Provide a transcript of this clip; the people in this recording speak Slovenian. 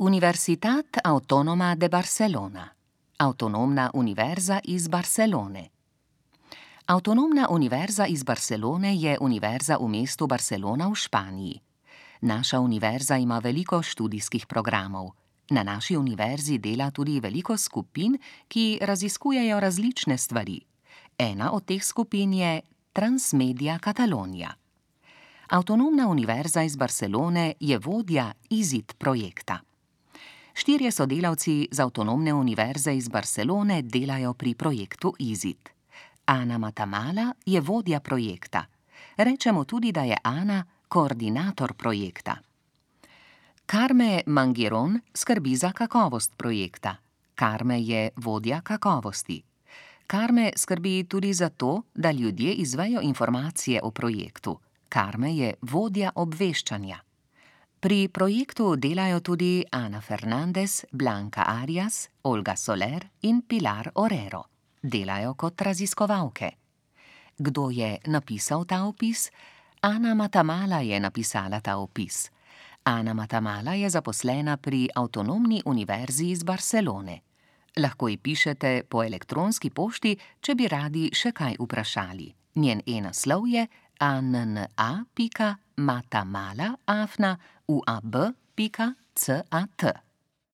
Universitat Autónoma de Barcelona. Avtonomna univerza iz Barcelone. Avtonomna univerza iz Barcelone je univerza v mestu Barcelona v Španiji. Naša univerza ima veliko študijskih programov. Na naši univerzi dela tudi veliko skupin, ki raziskujejo različne stvari. Ena od teh skupin je Transmedia Catalonia. Avtonomna univerza iz Barcelone je vodja IZIT projekta. 4 sodelavci z Avtonomne univerze iz Barcelone delajo pri projektu IZIT. Ana Matamala je vodja projekta. Rečemo tudi, da je Ana koordinator projekta. Carme Mangiron skrbi za kakovost projekta. Carme je vodja kakovosti. Carme skrbi tudi za to, da ljudje izvejo informacije o projektu. Carme je vodja obveščanja. Pri projektu delajo tudi Ana Fernandez, Blanca Arias, Olga Soler in Pilar Orero. Delajo kot raziskovalke. Kdo je napisal ta opis? Ana Matamala je napisala ta opis. Ana Matamala je zaposlena pri Avtonomni univerzi iz Barcelone. Lahko ji pišete po elektronski pošti, če bi radi še kaj vprašali. Njen e-naslov je anna.matamala@uab.cat.